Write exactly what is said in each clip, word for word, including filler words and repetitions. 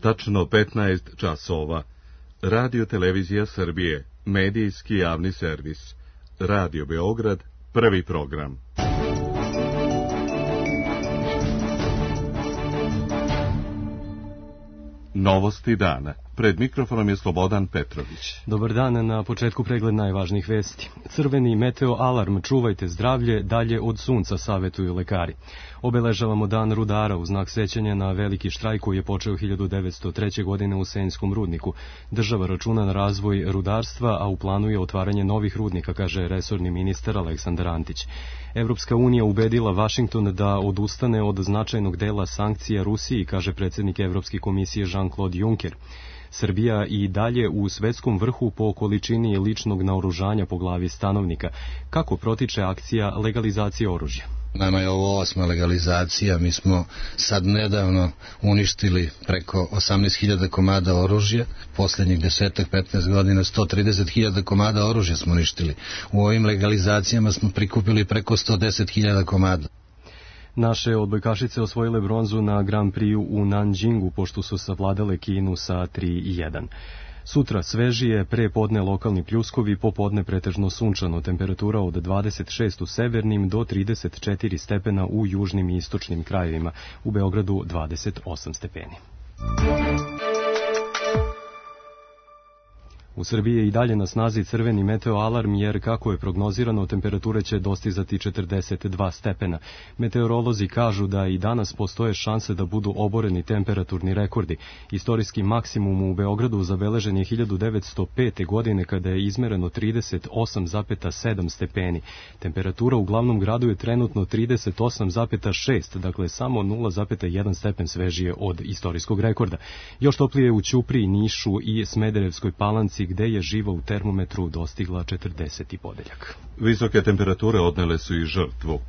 tačno petnaest časova. Radio Televizija Srbije, medijski javni servis. Radio Beograd, prvi program. Novosti dana. Pred mikrofonom je Slobodan Petrović. Dobar dan, na početku pregled najvažnijih vesti. Crveni meteo alarm, čuvajte zdravlje, dalje od sunca, savetuju lekari. Obeležavamo dan rudara u znak sećanja na veliki štrajk koji je počeo hiljadu devetsto treće. godine u Senjskom rudniku. Država računa na razvoj rudarstva, a u planu je otvaranje novih rudnika, kaže resorni ministar Aleksandar Antić. Evropska unija ubedila Vašington da odustane od značajnog dela sankcija Rusiji, kaže predsjednik Evropske komisije Jean-Claude Juncker. Srbija i dalje u svetskom vrhu po količini ličnog naoružanja po glavi stanovnika. Kako protiče akcija legalizacije oružja? Nama je ovo osma legalizacija, mi smo sad nedavno uništili preko osamnaest hiljada komada oružja, posljednjih desetak petnaest godina sto trideset hiljada komada oružja smo uništili. U ovim legalizacijama smo prikupili preko sto deset hiljada komada. Naše odbojkašice osvojile bronzu na Grand Prix u Nanjingu, pošto su savladale Kinu sa tri jedan. Sutra svežije, pre podne lokalni pljuskovi, popodne pretežno sunčano, temperatura od dvadeset šest u severnim do trideset četiri stepena u južnim i istočnim krajevima, u Beogradu dvadeset osam stepeni. U Srbiji je i dalje na snazi crveni meteo alarm, jer kako je prognozirano, temperature će dostizati četrdeset dva stepena. Meteorolozi kažu da i danas postoje šanse da budu oboreni temperaturni rekordi. Istorijski maksimum u Beogradu zabeležen je hiljadu devetsto pete. godine kada je izmereno trideset osam zarez sedam stepeni. Temperatura u glavnom gradu je trenutno trideset osam zarez šest, dakle samo nula zarez jedan stepen svežije od istorijskog rekorda. Još toplije u Ćupriji, Nišu i Smederevskoj Palanci, gde je živa u termometru dostigla četrdeseti podeljak. Visoke temperature odnele su i žrtvu.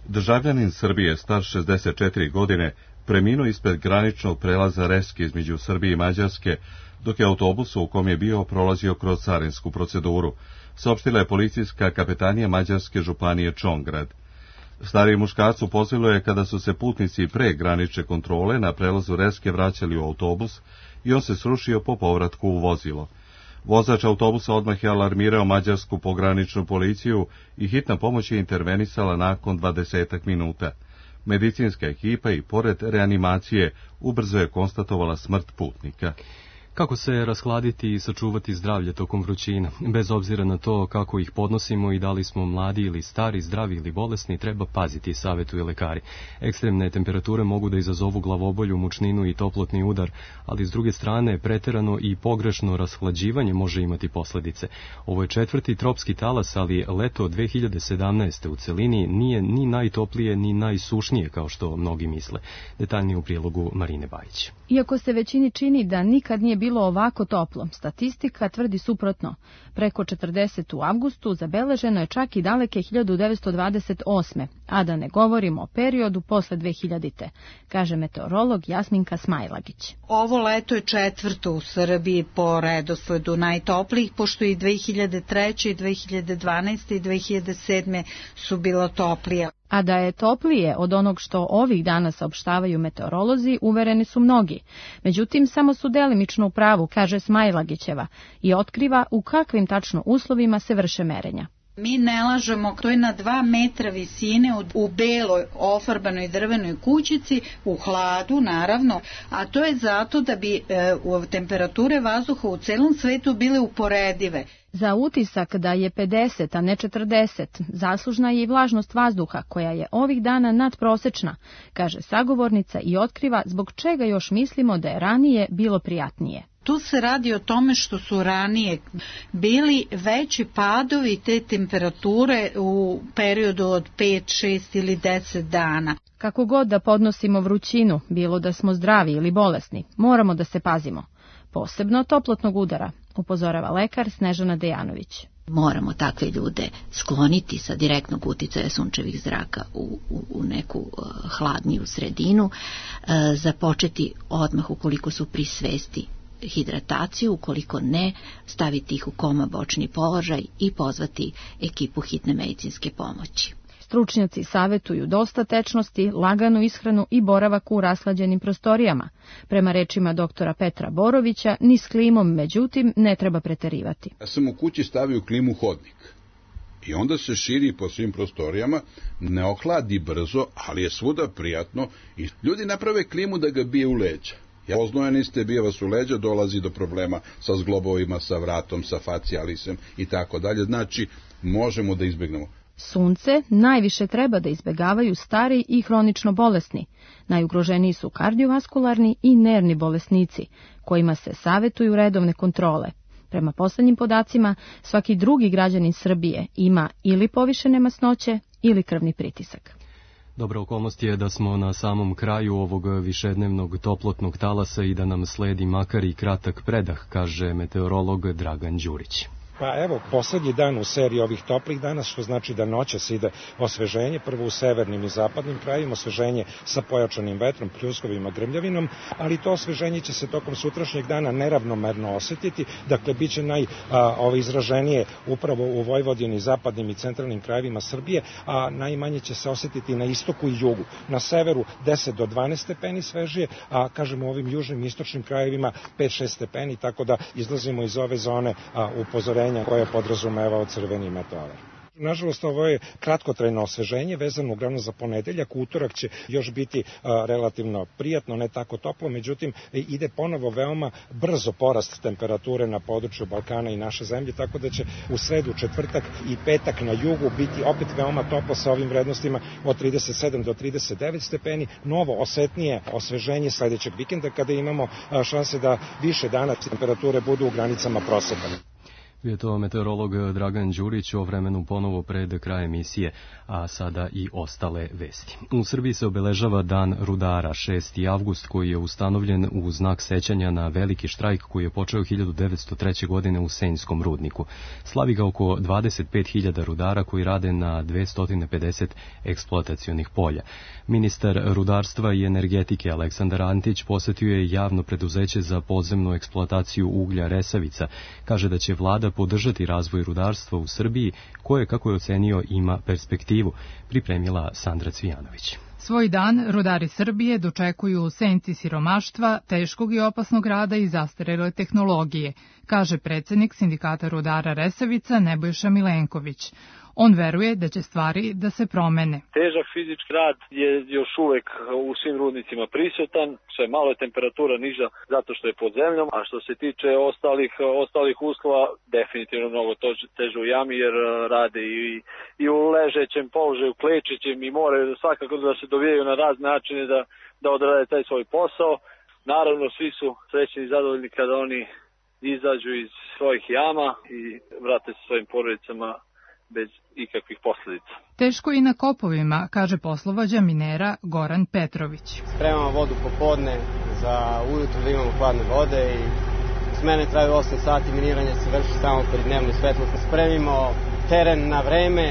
Državljanin Srbije, star šezdeset četiri godine, preminuo ispred graničnog prelaza Reske između Srbije i Mađarske, dok je autobus u kom je bio prolazio kroz carinsku proceduru, saopštila je policijska kapetanija Mađarske županije Čongrad. Stariji muškarac upozorilo je kada su se putnici pre granične kontrole na prelazu Reske vraćali u autobus i on se srušio po povratku u vozilo. Vozač autobusa odmah je alarmirao mađarsku pograničnu policiju i hitna pomoć je intervenisala nakon dvadesetak minuta. Medicinska ekipa i pored reanimacije ubrzo je konstatovala smrt putnika. Kako se rashladiti i sačuvati zdravlje tokom vrućina? Bez obzira na to kako ih podnosimo i da li smo mladi ili stari, zdravi ili bolesni, treba paziti, savetuju lekari. Ekstremne temperature mogu da izazovu glavobolju, mučninu i toplotni udar, ali s druge strane preterano i pogrešno rashlađivanje može imati posljedice. Ovo je četvrti tropski talas, ali leto dve hiljade sedamnaeste. u celini nije ni najtoplije ni najsušnije kao što mnogi misle. Detaljnije u prilogu Marine Bajić. Iako se većini čini da nikad nije bilo ovako toplo, statistika tvrdi suprotno. Preko četrdeset u avgustu zabeleženo je čak i daleke hiljadu devetsto dvadeset osme. a da ne govorimo o periodu posle dve hiljadite. kaže meteorolog Jasminka Smajlagić. Ovo leto je četvrto u Srbiji po redosledu najtoplijih, pošto i dve hiljade treće. i dve hiljade dvanaeste. i dve hiljade sedme. su bilo toplije. A da je toplije od onog što ovih dana saopštavaju meteorolozi, uvereni su mnogi. Međutim, samo su delimično u pravu, kaže Smajlagićeva, i otkriva u kakvim tačno uslovima se vrše merenja. Mi ne lažemo, to je na dva metra visine u beloj ofarbanoj drvenoj kućici, u hladu naravno, a to je zato da bi e, temperature vazduha u celom svetu bile uporedive. Za utisak da je pedeset, a ne četrdeset, zaslužna je i vlažnost vazduha, koja je ovih dana nadprosečna, kaže sagovornica i otkriva zbog čega još mislimo da je ranije bilo prijatnije. Tu se radi o tome što su ranije bili veći padovi te temperature u periodu od pet, šest ili deset dana. Kako god da podnosimo vrućinu, bilo da smo zdravi ili bolesni, moramo da se pazimo. Posebno toplotnog udara, upozorava lekar Snežana Dejanović. Moramo takve ljude skloniti sa direktnog uticaja sunčevih zraka u, u, u neku uh, hladniju sredinu, uh, započeti odmah ukoliko su pri svesti hidrataciju, ukoliko ne, staviti ih u koma bočni položaj i pozvati ekipu hitne medicinske pomoći. Stručnjaci savetuju dosta tečnosti, laganu ishranu i boravak u rashlađenim prostorijama. Prema rečima doktora Petra Borovića, ni s klimom, međutim, ne treba preterivati. Ja sam u kući stavio klimu hodnik. I onda se širi po svim prostorijama, ne ohladi brzo, ali je svuda prijatno i ljudi naprave klimu da ga bije u leđa. Ja oznojeni bije vas u leđa, dolazi do problema sa zglobovima, sa vratom, sa facijalisem i tako dalje. Znači, možemo da izbegnemo. Sunce najviše treba da izbegavaju stari i hronično bolesni. Najugroženiji su kardiovaskularni i nervni bolesnici, kojima se savetuju redovne kontrole. Prema poslednjim podacima, svaki drugi građanin Srbije ima ili povišene masnoće ili krvni pritisak. Dobra okolnost je da smo na samom kraju ovog višednevnog toplotnog talasa i da nam sledi makar i kratak predah, kaže meteorolog Dragan Đurić. Pa evo, poslednji dan u seriji ovih toplih dana, što znači da noćas ide osveženje, prvo u severnim i zapadnim krajima, osveženje sa pojačanim vetrom, pljuskovima, grmljavinom, ali to osveženje će se tokom sutrašnjeg dana neravnomerno osetiti, dakle, bit će najizraženije upravo u Vojvodini, zapadnim i centralnim krajevima Srbije, a najmanje će se osetiti na istoku i jugu. Na severu deset do dvanaest stepeni svežije, a kažemo u ovim južnim i istočnim krajevima pet do šest stepeni, tako da izlazimo iz ove zone upozorenja koje podrazumevao crveni meteor. Nažalost, ovo je kratkotrajno osveženje, vezano uglavnom za ponedeljak. Utorak će još biti a, relativno prijatno, ne tako toplo, međutim ide ponovo veoma brzo porast temperature na području Balkana i naše zemlje, tako da će u sredu, četvrtak i petak na jugu biti opet veoma toplo sa ovim vrednostima od trideset sedam do trideset devet stepeni. Novo osetnije osveženje sledećeg vikenda, kada imamo a, šanse da više dana temperature budu u granicama proseka. Je to meteorolog Dragan Đurić o vremenu ponovo pred kraj emisije, a sada i ostale vesti. U Srbiji se obeležava Dan rudara, šesti avgust, koji je ustanovljen u znak sećanja na veliki štrajk koji je počeo hiljadu devetsto treće. godine u Senjskom rudniku. Slavi ga oko dvadeset pet hiljada rudara koji rade na dvesta pedeset eksploatacionih polja. Ministar rudarstva i energetike Aleksandar Antić posetio je javno preduzeće za podzemnu eksploataciju uglja Resavica. Kaže da će vlada podržati razvoj rudarstva u Srbiji, koje, kako je ocenio, ima perspektivu, pripremila Sandra Cvijanović. Svoj dan rudari Srbije dočekuju u senci siromaštva, teškog i opasnog rada i zastarele tehnologije, kaže predsednik Sindikata rudara Resavica Nebojša Milenković. On veruje da će stvari da se promene. Težak fizički rad je još uvek u svim rudnicima prisutan, sve malo je temperatura niža zato što je pod zemljom, a što se tiče ostalih, ostalih uslova, definitivno mnogo teže u jami jer rade i, i u ležećem položaju, klečićem i moraju svakako da se dovijaju na razne načine da, da odrade taj svoj posao. Naravno, svi su srećni i zadovoljni kada oni izađu iz svojih jama i vrate se svojim porodicama bez ikakvih posledica. Teško i na kopovima, kaže poslovođa minera Goran Petrović. Spremamo vodu popodne za ujutru da imamo hladne vode i smene traju osam sati, miniranje se vrši samo pri dnevnoj svetlosti. Spremimo teren na vreme,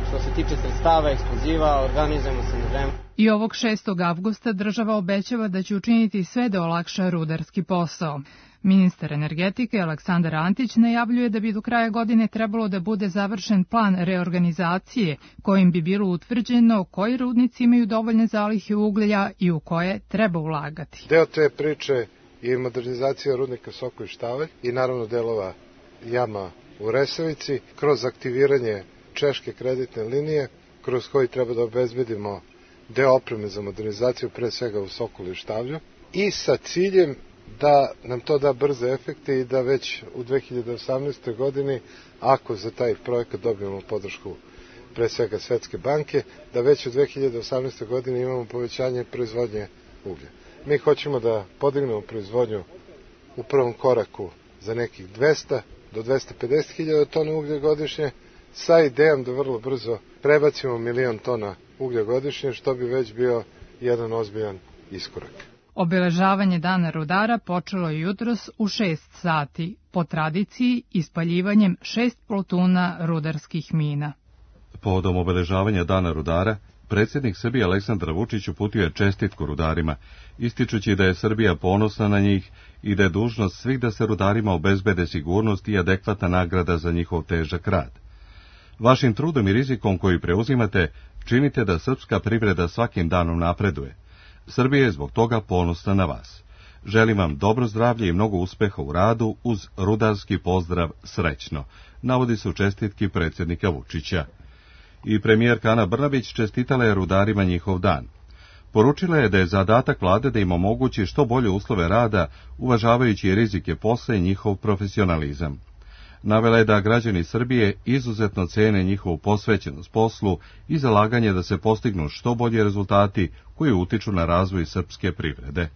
što se tiče sredstava, eksploziva, organizujemo se na vreme. I ovog šestog avgusta država obećava da će učiniti sve da olakša rudarski posao. Ministar energetike Aleksandar Antić najavljuje da bi do kraja godine trebalo da bude završen plan reorganizacije kojim bi bilo utvrđeno koji rudnici imaju dovoljne zalihe uglja i u koje treba ulagati. Deo te priče je modernizacija rudnika Soko i Štavalj i naravno delova jama u Resavici kroz aktiviranje češke kreditne linije kroz koji treba da obezbedimo deo opreme za modernizaciju pre svega u Sokolu i Štavlju i sa ciljem da nam to da brze efekte i da već u dve hiljade osamnaestoj. godini, ako za taj projekat dobijemo podršku pre svega Svetske banke, da već u dve hiljade osamnaestoj. godini imamo povećanje proizvodnje uglja. Mi hoćemo da podignemo proizvodnju u prvom koraku za nekih dvesta do dvesta pedeset hiljada tona uglja godišnje, sa idejom da vrlo brzo prebacimo milion tona uglja godišnje, što bi već bio jedan ozbiljan iskorak. Obeležavanje Dana rudara počelo je jutros u šest sati, po tradiciji ispaljivanjem šest plotuna rudarskih mina. Povodom obeležavanja Dana rudara, predsjednik Srbije Aleksandar Vučić uputio je čestitku rudarima, ističući da je Srbija ponosna na njih i da je dužnost svih da se rudarima obezbede sigurnost i adekvatna nagrada za njihov težak rad. Vašim trudom i rizikom koji preuzimate, činite da srpska privreda svakim danom napreduje. Srbija je zbog toga ponosna na vas. Želim vam dobro zdravlje i mnogo uspeha u radu uz rudarski pozdrav srećno, navodi se u čestitki predsjednika Vučića. I premijerka Ana Brnabić čestitala je rudarima njihov dan. Poručila je da je zadatak vlade da im omogući što bolje uslove rada, uvažavajući rizike posla i njihov profesionalizam. Navela je da građani Srbije izuzetno cene njihovu posvećenost poslu i zalaganje da se postignu što bolji rezultati koji utiču na razvoj srpske privrede.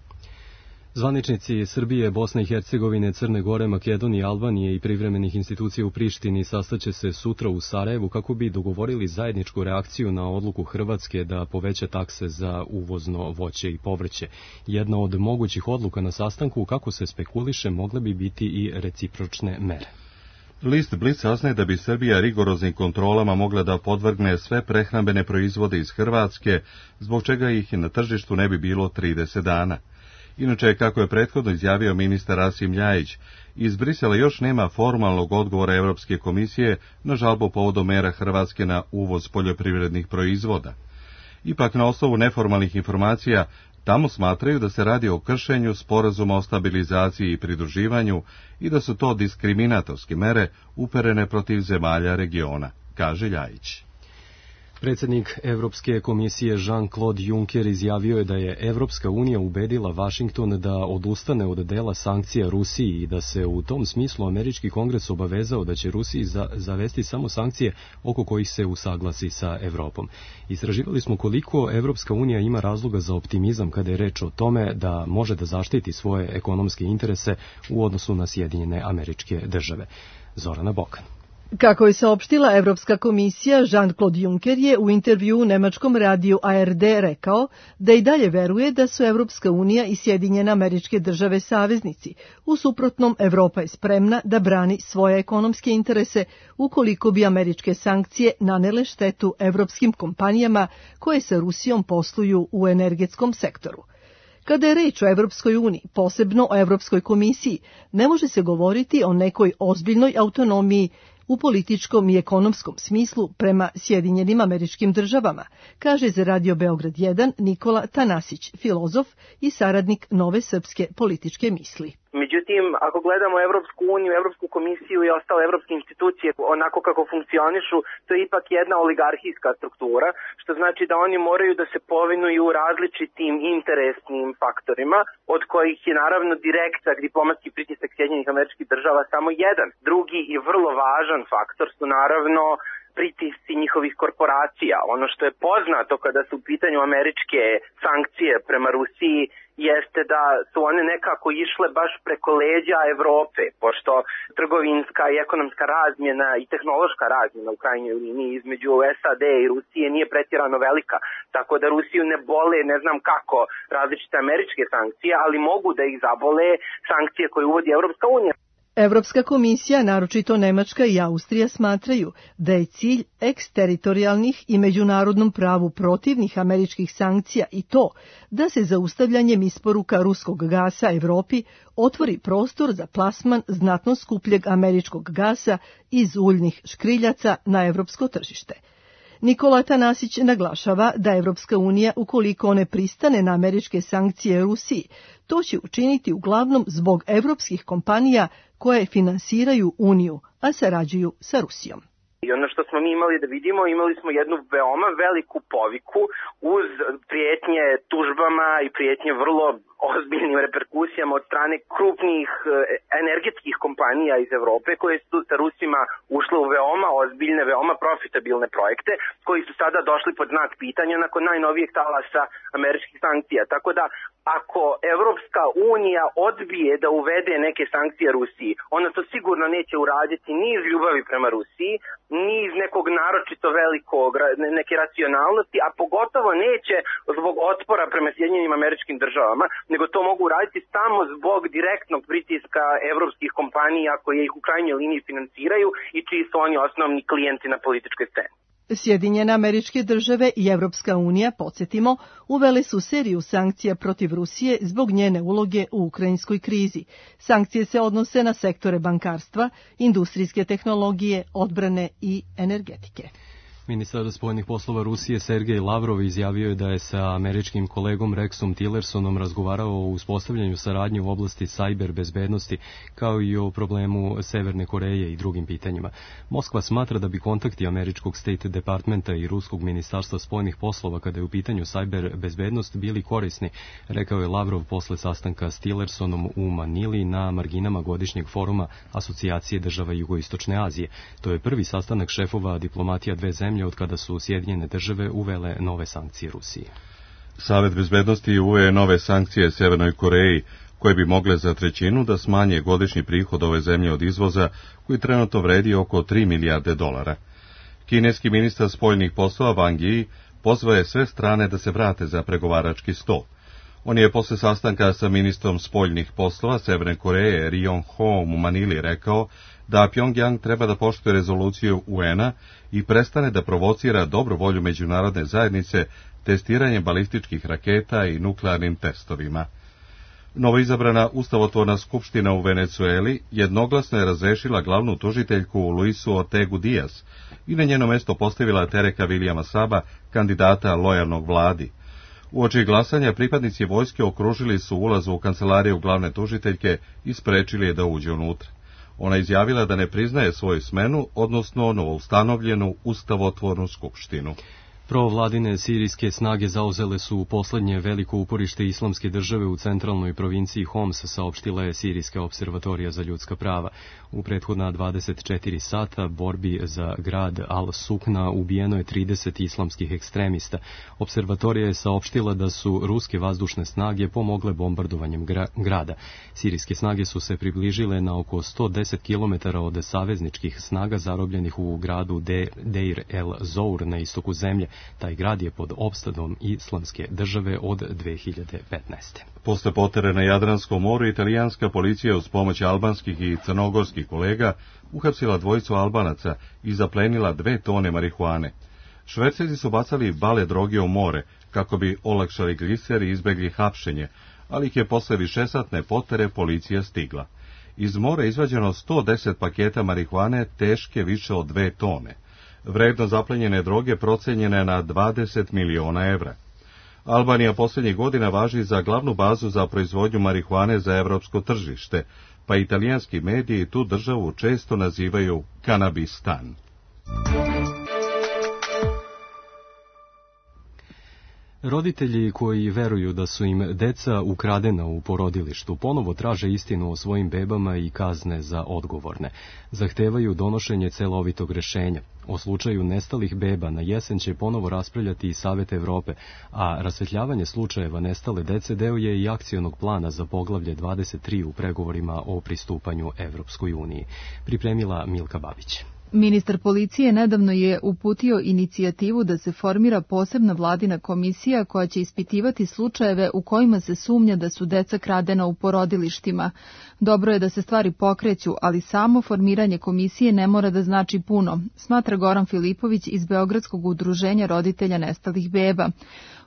Zvaničnici Srbije, Bosne i Hercegovine, Crne Gore, Makedonije, Albanije i privremenih institucija u Prištini sastaće se sutra u Sarajevu kako bi dogovorili zajedničku reakciju na odluku Hrvatske da poveća takse za uvozno voće i povrće. Jedna od mogućih odluka na sastanku, kako se spekuliše, mogle bi biti i recipročne mere. List Blic saznaje da bi Srbija rigoroznim kontrolama mogla da podvrgne sve prehrambene proizvode iz Hrvatske, zbog čega ih na tržištu ne bi bilo trideset dana. Inače, kako je prethodno izjavio ministar Rasim Ljajić, iz Brisela još nema formalnog odgovora Evropske komisije na žalbu povodom mera Hrvatske na uvoz poljoprivrednih proizvoda. Ipak, na osnovu neformalnih informacija, tamo smatraju da se radi o kršenju sporazuma o stabilizaciji i pridruživanju i da su to diskriminatorske mere uperene protiv zemalja regiona, kaže Ljajić. Predsjednik Evropske komisije Jean-Claude Juncker izjavio je da je Evropska unija ubedila Vašington da odustane od dela sankcija Rusiji i da se u tom smislu američki kongres obavezao da će Rusiji za, zavesti samo sankcije oko kojih se usaglasi sa Evropom. Istraživali smo koliko Evropska unija ima razloga za optimizam kada je reč o tome da može da zaštiti svoje ekonomske interese u odnosu na Sjedinjene Američke Države. Zorana Bokan. Kako je saopštila Evropska komisija, Jean-Claude Juncker je u intervjuu u nemačkom radiju A R D rekao da i dalje veruje da su Evropska unija i Sjedinjene Američke Države saveznici. U suprotnom, Evropa je spremna da brani svoje ekonomske interese ukoliko bi američke sankcije nanele štetu evropskim kompanijama koje sa Rusijom posluju u energetskom sektoru. Kada je reč o Evropskoj uniji, posebno o Evropskoj komisiji, ne može se govoriti o nekoj ozbiljnoj autonomiji u političkom i ekonomskom smislu prema Sjedinjenim Američkim Državama, kaže za Radio Beograd jedan Nikola Tanasić, filozof i saradnik Nove srpske političke misli. Međutim, ako gledamo Evropsku uniju, Evropsku komisiju i ostale evropske institucije onako kako funkcionišu, to je ipak jedna oligarhijska struktura, što znači da oni moraju da se povinuju različitim interesnim faktorima, od kojih je naravno direktan diplomatski pritisak Sjedinjenih Američkih Država samo jedan. Drugi i vrlo važan faktor su naravno pritisci njihovih korporacija. Ono što je poznato kada su u pitanju američke sankcije prema Rusiji jeste da su one nekako išle baš preko leđa Evrope, pošto trgovinska i ekonomska razmjena i tehnološka razmjena u krajnjoj liniji između S A D i Rusije nije pretjerano velika, tako da Rusiju ne bole ne znam kako različite američke sankcije, ali mogu da ih zabole sankcije koje uvodi Evropska unija. Evropska komisija, naročito Nemačka i Austrija, smatraju da je cilj eksteritorijalnih i međunarodnom pravu protivnih američkih sankcija i to da se zaustavljanjem isporuka ruskog gasa Evropi otvori prostor za plasman znatno skupljeg američkog gasa iz uljnih škriljaca na evropsko tržište. Nikola Tanasić naglašava da Evropska unija, ukoliko ne pristane na američke sankcije Rusiji, to će učiniti uglavnom zbog evropskih kompanija koje finansiraju Uniju, a sarađuju sa Rusijom. I ono što smo mi imali da vidimo, imali smo jednu veoma veliku poviku uz prijetnje tužbama i prijetnje vrlo ozbiljnim reperkusijama od strane krupnih energetskih kompanija iz Evrope koje su sa Rusima ušle u veoma ozbiljne, veoma profitabilne projekte koji su sada došli pod znak pitanja nakon najnovijeg talasa američkih sankcija. Tako da ako Evropska unija odbije da uvede neke sankcije Rusiji, ona to sigurno neće uraditi ni iz ljubavi prema Rusiji, ni iz nekog naročito velikog, neke racionalnosti, a pogotovo neće zbog otpora prema Sjedinjenim Američkim Državama, nego to mogu uraditi samo zbog direktnog pritiska evropskih kompanija koje ih u krajnjoj liniji finansiraju i čiji su oni osnovni klijenti na političkoj sceni. Sjedinjene Američke Države i Evropska unija, podsjetimo, uvele su seriju sankcija protiv Rusije zbog njene uloge u ukrajinskoj krizi. Sankcije se odnose na sektore bankarstva, industrijske tehnologije, odbrane i energetike. Ministar spoljnih poslova Rusije Sergej Lavrov izjavio je da je sa američkim kolegom Rexom Tillersonom razgovarao o uspostavljanju saradnje u oblasti sajber bezbednosti, kao i o problemu Severne Koreje i drugim pitanjima. Moskva smatra da bi kontakti američkog State Departmenta i ruskog ministarstva spoljnih poslova kada je u pitanju sajber bezbednost bili korisni, rekao je Lavrov posle sastanka s Tillersonom u Manili na marginama godišnjeg foruma Asocijacije država Jugoistočne Azije. To je prvi sastanak šefova diplomatija dve zemlje od kada su Sjedinjene države uvele nove sankcije Rusiji. Savet bezbednosti uveo nove sankcije Severnoj Koreji, koje bi mogle za trećinu da smanje godišnji prihod ove zemlje od izvoza, koji trenutno vredi oko tri milijarde dolara. Kineski ministar spoljnih poslova Wang Yi pozvao je sve strane da se vrate za pregovarački sto. On je posle sastanka sa ministrom spoljnih poslova Severne Koreje Ri Yong Ho u Manili rekao da Pjongjang treba da poštuje rezoluciju U N-a i prestane da provocira dobru volju međunarodne zajednice testiranjem balističkih raketa i nuklearnim testovima. Novoizabrana ustavotvorna skupština u Venecueli jednoglasno je razrešila glavnu tužiteljku Luisu Ortegu Diaz i na njeno mesto postavila Tereka Vilijama Saba, kandidata lojalnog vladi. Uoči glasanja pripadnici vojske okružili su ulaz u kancelariju glavne tužiteljke i sprečili je da uđe unutra. Ona izjavila da ne priznaje svoju smenu, odnosno novoustanovljenu ustavotvornu skupštinu. Provladine sirijske snage zauzele su poslednje veliko uporište islamske države u centralnoj provinciji Homs, saopštila je Sirijska observatorija za ljudska prava. U prethodna dvadeset četiri sata borbi za grad Al-Sukna ubijeno je trideset islamskih ekstremista. Observatorija je saopštila da su ruske vazdušne snage pomogle bombardovanjem gra grada. Sirijske snage su se približile na oko sto deset kilometara od savezničkih snaga zarobljenih u gradu De Deir el-Zour na istoku zemlje. Taj grad je pod opstadom islamske države od dve hiljade petnaeste. Posle potere na Jadranskom moru, italijanska policija uz pomoć albanskih i crnogorskih kolega uhapsila dvojicu Albanaca i zaplenila dve tone marihuane. Šverceri su bacali bale droge u more, kako bi olakšali gliser i izbegli hapšenje, ali ih je posle višesatne potere policija stigla. Iz mora izvađeno sto deset paketa marihuane teške više od dve tone. Vrednost zaplenjene droge procenjena je na dvadeset miliona evra. Albanija posljednjih godina važi za glavnu bazu za proizvodnju marihuane za evropsko tržište, pa italijanski mediji tu državu često nazivaju Kanabistan. Roditelji koji veruju da su im deca ukradena u porodilištu ponovo traže istinu o svojim bebama i kazne za odgovorne. Zahtevaju donošenje celovitog rešenja. O slučaju nestalih beba na jesen će ponovo raspravljati i Savet Evrope, a rasvetljavanje slučajeva nestale dece deo je i akcionog plana za poglavlje dvadeset tri u pregovorima o pristupanju Evropskoj uniji. Pripremila Milka Babić. Ministar policije nedavno je uputio inicijativu da se formira posebna vladina komisija koja će ispitivati slučajeve u kojima se sumnja da su deca kradena u porodilištima. Dobro je da se stvari pokreću, ali samo formiranje komisije ne mora da znači puno, smatra Goran Filipović iz Beogradskog udruženja roditelja nestalih beba.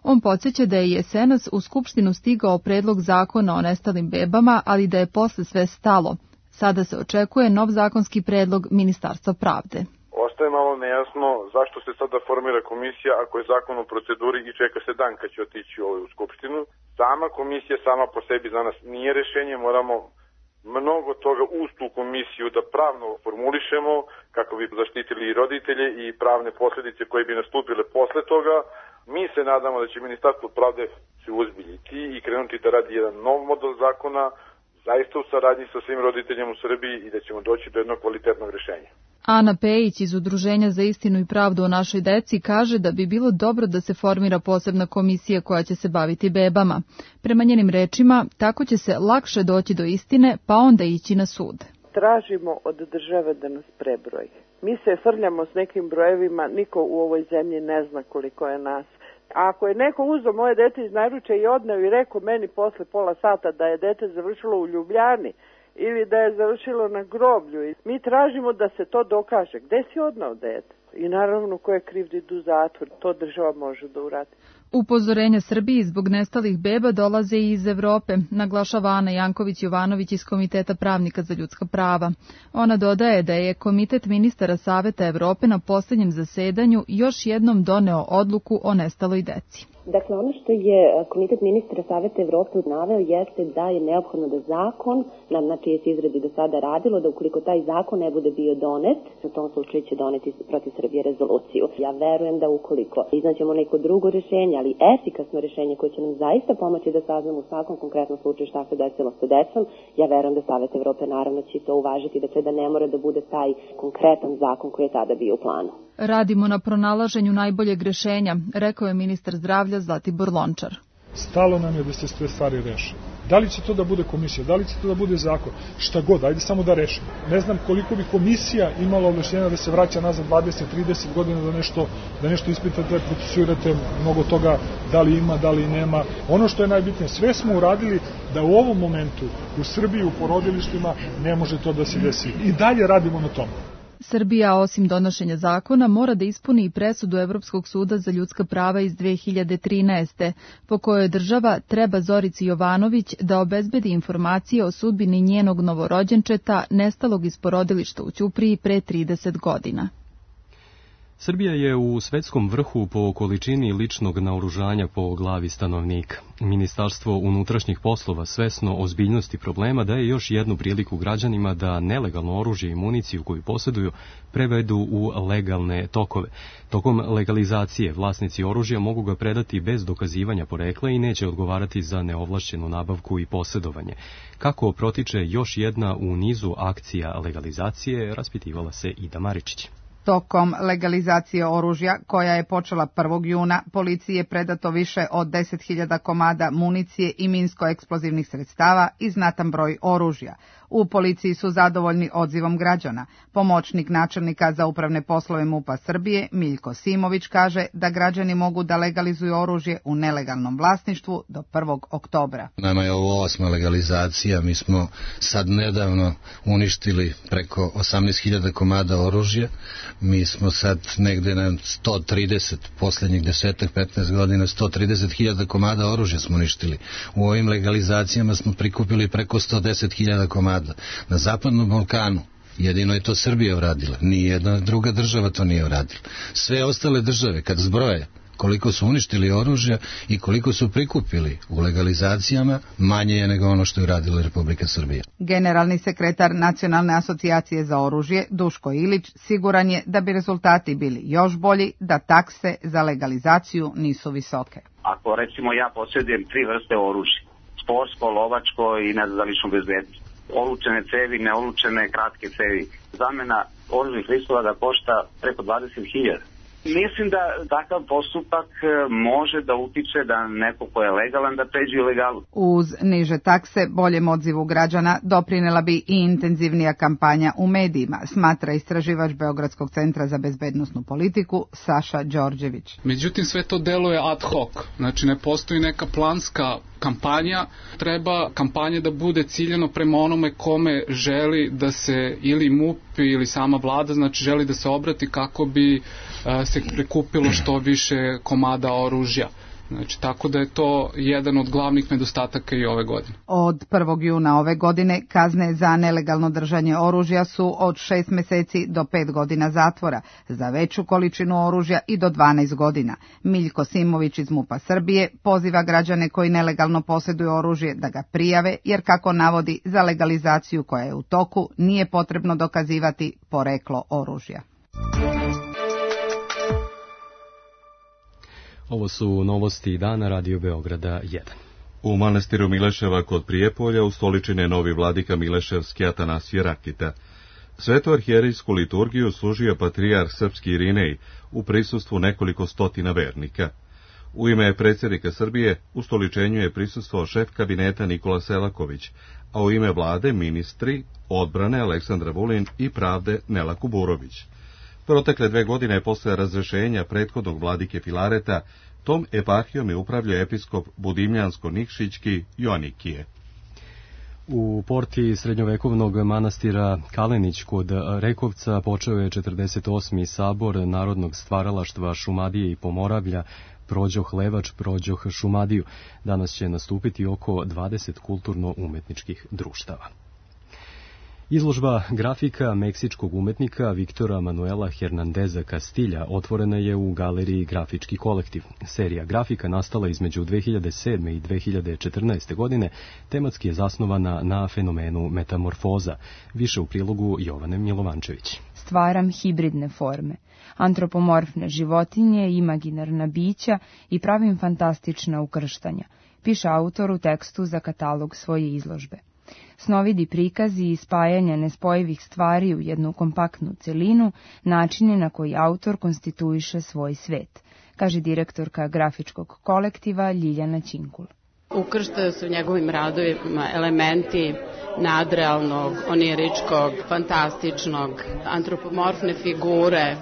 On podsjeća da je jesenas u Skupštinu stigao predlog zakona o nestalim bebama, ali da je posle sve stalo. Sada se očekuje nov zakonski predlog Ministarstva pravde. Ostaje malo nejasno zašto se sada formira komisija ako je zakon u proceduri i čeka se dan kad će otići u Skupštinu. Sama komisija sama po sebi za nas nije rešenje, moramo mnogo toga uz tu komisiju da pravno formulišemo kako bi zaštitili i roditelje i pravne posljedice koje bi nastupile posle toga. Mi se nadamo da će Ministarstvo pravde se uzbiljiti i krenuti da radi jedan nov model zakona, zaista u saradnji sa svim roditeljima u Srbiji i da ćemo doći do jednog kvalitetnog rešenja. Ana Pejić iz Udruženja za istinu i pravdu o našoj deci kaže da bi bilo dobro da se formira posebna komisija koja će se baviti bebama. Prema njenim rečima, tako će se lakše doći do istine, pa onda ići na sud. Tražimo od države da nas prebroji. Mi se frljamo s nekim brojevima, niko u ovoj zemlji ne zna koliko je nas. A ako je neko uzeo moje dete iz naručja i odneo i rekao meni posle pola sata da je dete završilo u Ljubljani ili da je završilo na groblju, mi tražimo da se to dokaže. Gde si odneo dete? I naravno ko je kriv da idu u zatvor, to država može da uradi. Upozorenja Srbiji zbog nestalih beba dolaze i iz Evrope, naglašava Ana Janković-Jovanović iz Komiteta pravnika za ljudska prava. Ona dodaje da je Komitet ministara Saveta Evrope na posljednjem zasedanju još jednom doneo odluku o nestaloj deci. Dakle, ono što je Komitet ministara Saveta Evrope naveo jeste da je neophodno da zakon, na čije se izradi do sada radilo, da ukoliko taj zakon ne bude bio donet, u tom slučaju će doneti protiv Srbije rezoluciju. Ja verujem da ukoliko iznaćemo neko drugo rješenje, ali efikasno rješenje koje će nam zaista pomoći da saznamo u svakom konkretnom slučaju šta se desilo sa decom, ja verujem da Savet Evrope naravno će to uvažiti, dakle da ne mora da bude taj konkretan zakon koji je tada bio u planu. Radimo na pronalaženju najboljeg rješenja, rekao je ministar zdravlja Zlatibor Lončar. Stalo nam je da se sve stvari reše. Da li će to da bude komisija, da li će to da bude zakon, šta god, ajde samo da rešimo. Ne znam koliko bi komisija imala ovlašćenja da se vraća nazad dvadeset trideset godina da nešto, da nešto ispitate, procesuirate mnogo toga, da li ima, da li nema. Ono što je najbitnije, sve smo uradili da u ovom momentu u Srbiji u porodilištima ne može to da se desi. I dalje radimo na tome. Srbija, osim donošenja zakona, mora da ispuni i presudu Evropskog suda za ljudska prava iz dve hiljade trinaeste. po kojoj država treba Zorici Jovanović da obezbedi informacije o sudbini njenog novorođenčeta nestalog iz porodilišta u Ćupriji pre trideset godina. Srbija je u svetskom vrhu po količini ličnog naoružanja po glavi stanovnika. Ministarstvo unutrašnjih poslova svesno ozbiljnosti problema daje još jednu priliku građanima da nelegalno oružje i municiju koju posjeduju prevedu u legalne tokove. Tokom legalizacije vlasnici oružja mogu ga predati bez dokazivanja porekla i neće odgovarati za neovlašćenu nabavku i posjedovanje. Kako protiče još jedna u nizu akcija legalizacije, raspitivala se Ida Maričić. Tokom legalizacije oružja, koja je počela prvog juna, policiji je predato više od deset hiljada komada municije i minsko-eksplozivnih sredstava i znatan broj oružja. U policiji su zadovoljni odzivom građana. Pomoćnik načelnika za upravne poslove MUP-a Srbije, Miljko Simović, kaže da građani mogu da legalizuju oružje u nelegalnom vlasništvu do prvog oktobra. Nama je ovo osma legalizacija, mi smo sad nedavno uništili preko osamnaest hiljada komada oružja. Mi smo sad negde na sto trideset, posljednjih desetak, petnaest godina, sto trideset hiljada komada oružja smo uništili. U ovim legalizacijama smo prikupili preko sto deset hiljada komada. Na Zapadnom Balkanu jedino je to Srbija uradila, nijedna druga država to nije uradila. Sve ostale države, kad zbroje koliko su uništili oružja i koliko su prikupili u legalizacijama, manje je nego ono što je uradila Republika Srbija. Generalni sekretar Nacionalne asocijacije za oružje, Duško Ilić, siguran je da bi rezultati bili još bolji da takse za legalizaciju nisu visoke. Ako recimo ja posjedujem tri vrste oružja, sportsko, lovačko i ne za ličnu bezbednost, olučene cevi, neolučene kratke cevi, zamena oružnih listova da košta preko dvadeset hiljada. Mislim da takav postupak može da utiče da neko ko je legalan da pređe ilegalu. Uz niže takse, boljem odzivu građana doprinela bi i intenzivnija kampanja u medijima, smatra istraživač Beogradskog centra za bezbednosnu politiku Saša Đorđević. Međutim, sve to deluje ad hoc, znači ne postoji neka planska kampanja, treba kampanja da bude ciljeno prema onome kome želi da se ili MUP ili sama vlada, znači želi da se obrati kako bi uh, se prikupilo što više komada oružja. Znači, tako da je to jedan od glavnih nedostataka i ove godine. Od prvog juna ove godine kazne za nelegalno držanje oružja su od šest meseci do pet godina zatvora, za veću količinu oružja i do dvanaest godina. Miljko Simović iz MUP-a Srbije poziva građane koji nelegalno posjeduju oružje da ga prijave, jer kako navodi, za legalizaciju koja je u toku nije potrebno dokazivati poreklo oružja. Ovo su novosti dana Radio Beograda jedan. U manastiru Mileševa kod Prijepolja ustoličen je novi vladika Mileševski Atanasije Rakita. Svetu arhijerijsku liturgiju služio patrijarh srpski Irinej u prisustvu nekoliko stotina vernika. U ime predsjednika Srbije ustoličenju je prisustvovao šef kabineta Nikola Selaković, a u ime vlade ministri odbrane Aleksandra Vulin i pravde Nela Kuburović. Protekle dve godine posle razrešenja prethodnog vladike Filareta, tom eparhijom je upravljao episkop Budimljansko-Nikšićki Joanikije. U porti srednjovekovnog manastira Kalenić kod Rekovca počeo je četrdeset osmi sabor narodnog stvaralaštva Šumadije i Pomoravlja Prođoh Levač, Prođoh Šumadiju. Danas će nastupiti oko dvadeset kulturno-umetničkih društava. Izložba grafika meksičkog umetnika Viktora Manuela Hernandeza Castilja otvorena je u galeriji Grafički kolektiv. Serija grafika nastala između dve hiljade sedme i dve hiljade četrnaeste. godine, tematski je zasnovana na fenomenu metamorfoza. Više u prilogu Jovane Milovančević. Stvaram hibridne forme, antropomorfne životinje, imaginarna bića i pravim fantastična ukrštanja, piše autor u tekstu za katalog svoje izložbe. Snovidi prikazi i spajanja nespojivih stvari u jednu kompaktnu celinu, načini na koji autor konstituiše svoj svet, kaže direktorka grafičkog kolektiva Ljiljana Ćinkul. Ukrštaju se u njegovim radovima elementi nadrealnog, oniričkog, fantastičnog, antropomorfne figure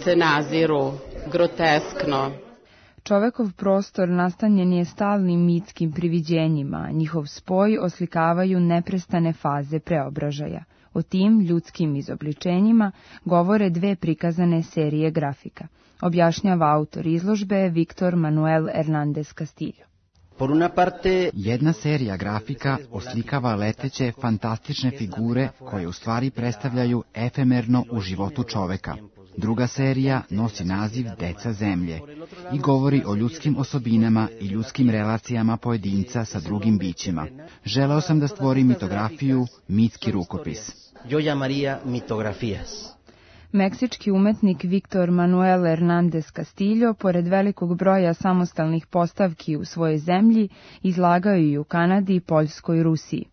se naziru groteskno. Čovekov prostor nastanjen je stalnim mitskim priviđenjima, njihov spoj oslikavaju neprestane faze preobražaja. O tim ljudskim izobličenjima govore dve prikazane serije grafika, objašnjava autor izložbe Viktor Manuel Hernández Castillo. Por una parte, jedna serija grafika oslikava leteće, fantastične figure koje u stvari predstavljaju efemerno u životu čoveka. Druga serija nosi naziv Deca zemlje i govori o ljudskim osobinama i ljudskim relacijama pojedinca sa drugim bićima. Želeo sam da stvorim mitografiju, mitski rukopis. Yo llamaría mitografías. Meksički umetnik Viktor Manuel Hernández Castillo, pored velikog broja samostalnih postavki u svojoj zemlji, izlagao i u Kanadi, Poljskoj i Rusiji.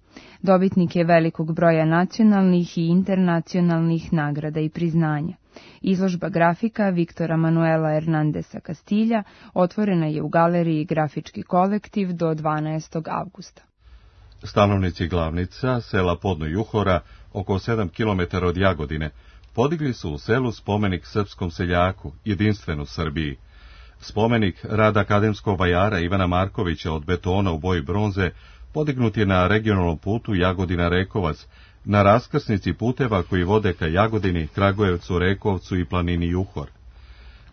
Dobitnik je velikog broja nacionalnih i internacionalnih nagrada i priznanja. Izložba grafika Viktora Manuela Hernándeza Castilla otvorena je u galeriji Grafički kolektiv do dvanaestog avgusta. Stanovnici Glavnica, sela Podno Juhora, oko sedam kilometara od Jagodine, podigli su u selu spomenik srpskom seljaku, jedinstven u Srbiji. Spomenik rada akademskog vajara Ivana Markovića od betona u boji bronze podignut je na regionalnom putu Jagodina-Rekovac, na raskrsnici puteva koji vode ka Jagodini, Kragujevcu, Rekovcu i planini Juhor.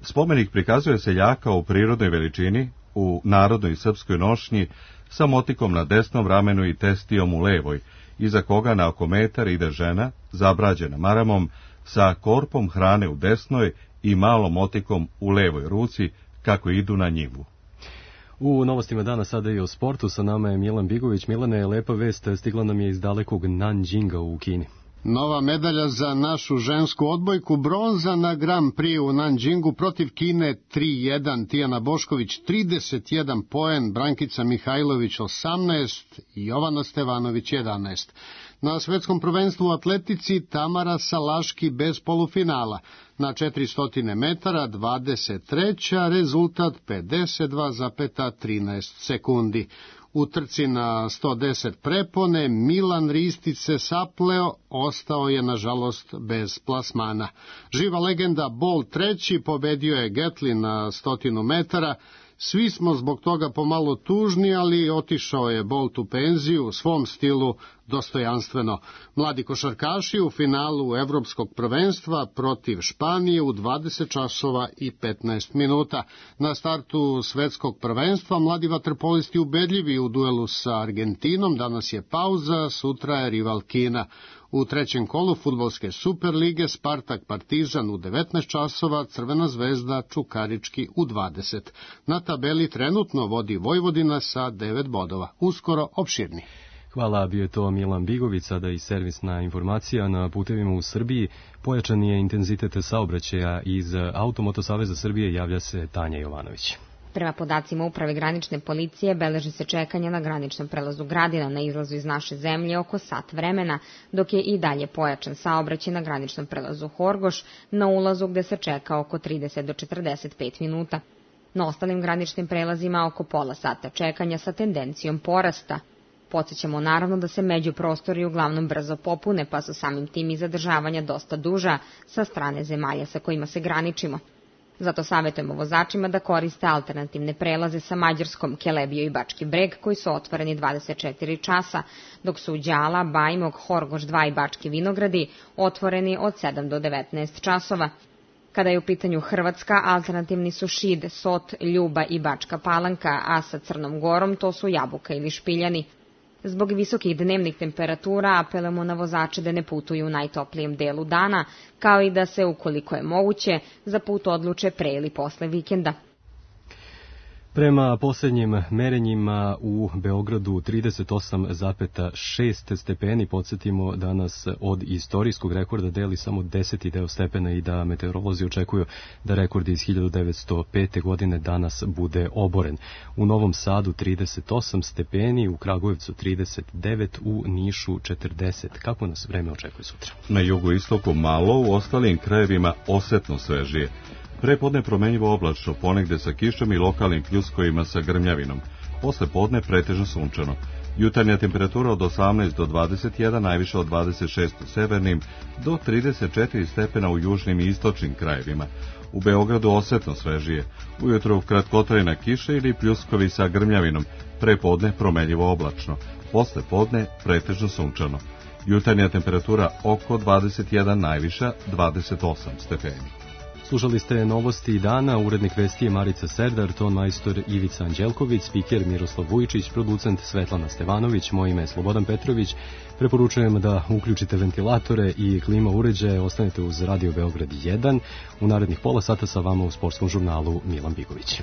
Spomenik prikazuje seljaka u prirodnoj veličini, u narodnoj srpskoj nošnji, sa motikom na desnom ramenu i testijom u levoj, iza koga na oko metar ide žena, zabrađena maramom, sa korpom hrane u desnoj i malom motikom u levoj ruci, kako idu na njivu. U novostima dana sada i o sportu, sa nama je Milan Bigović. Milane, lepa vest stigla nam je iz dalekog Nanjinga u Kini. Nova medalja za našu žensku odbojku, bronza na Grand Prix u Nanjingu protiv Kine tri jedan. Tijana Bošković trideset jedan poen, Brankica Mihajlović osamnaest i Jovana Stevanović jedanaest. Na svetskom prvenstvu u atletici Tamara Salaški bez polufinala. Na četiristo metara dvadeset treća, rezultat pedeset dva zarez trinaest sekundi. U trci na sto deset prepone Milan Ristić se sapleo, ostao je nažalost bez plasmana. Živa legenda Bolt treći pobedio je Gatlin na stotinu metara. Svi smo zbog toga pomalo tužni, ali otišao je Bolt u penziju u svom stilu dostojanstveno. Mladi košarkaši u finalu evropskog prvenstva protiv Španije u dvadeset časova i petnaest minuta. Na startu svetskog prvenstva mladi vaterpolisti ubedljivi u duelu sa Argentinom, danas je pauza, sutra je rival Kina. U trećem kolu fudbalske Superlige Spartak Partizan u devetnaest časova, Crvena zvezda Čukarički u dvadeset. Na tabeli trenutno vodi Vojvodina sa devet bodova. Uskoro opširni. Hvala, bio je to Milan Bigović, sada i servisna informacija. Na putevima u Srbiji pojačan je intenzitet saobraćaja. Iz Automoto Saveza Srbije javlja se Tanja Jovanović. Prema podacima Uprave granične policije, beleži se čekanje na graničnom prelazu Gradina na izlazu iz naše zemlje oko sat vremena, dok je i dalje pojačan saobraćaj na graničnom prelazu Horgoš, na ulazu gde se čeka oko trideset do četrdeset pet minuta. Na ostalim graničnim prelazima oko pola sata čekanja sa tendencijom porasta. Podsjećamo naravno da se međuprostori uglavnom brzo popune, pa su samim tim i zadržavanja dosta duža sa strane zemalja sa kojima se graničimo. Zato savjetujemo vozačima da koriste alternativne prelaze sa Mađarskom, Kelebiju i Bački Breg, koji su otvoreni dvadeset četiri časa, dok su Đala, Bajmog, Horgoš dva i Bački Vinogradi otvoreni od sedam do devetnaest časova. Kada je u pitanju Hrvatska, alternativni su Šid, Sot, Ljuba i Bačka Palanka, a sa Crnom Gorom to su Jabuka ili Špiljani. Zbog visokih dnevnih temperatura apelujemo na vozače da ne putuju u najtoplijem delu dana, kao i da se, ukoliko je moguće, za put odluče pre ili posle vikenda. Prema posljednjim merenjima u Beogradu trideset osam zarez šest stepeni, podsjetimo da nas od istorijskog rekorda deli samo deseti deo stepena i da meteorolozi očekuju da rekord iz hiljadu devetsto pete. godine danas bude oboren. U Novom Sadu trideset osam stepeni, u Kragujevcu trideset devet, u Nišu četrdeset. Kako nas vreme očekuje sutra? Na jugu istoku malo, u ostalim krajevima osetno svežije. Pre podne promenjivo oblačno, ponegde sa kišom i lokalnim pljuskovima sa grmljavinom. Posle podne pretežno sunčano. Jutarnja temperatura od osamnaest do dvadeset jedan, najviše od dvadeset šest u severnim, do trideset četiri stepena u južnim i istočnim krajevima. U Beogradu osetno svežije. Ujutro kratkotrajna kiša ili pljuskovi sa grmljavinom. Pre podne promenjivo oblačno. Posle podne pretežno sunčano. Jutarnja temperatura oko dvadeset jedan, najviša dvadeset osam stepeni. Slušali ste novosti dana, urednik vesti je Marica Serdar, ton majstor Ivica Anđelković, spiker Miroslav Vujičić, producent Svetlana Stevanović, moje ime je Slobodan Petrović. Preporučujem da uključite ventilatore i klima uređaje, ostanete uz Radio Beograd jedan. U narednih pola sata sa vama u sportskom žurnalu Milan Bigović.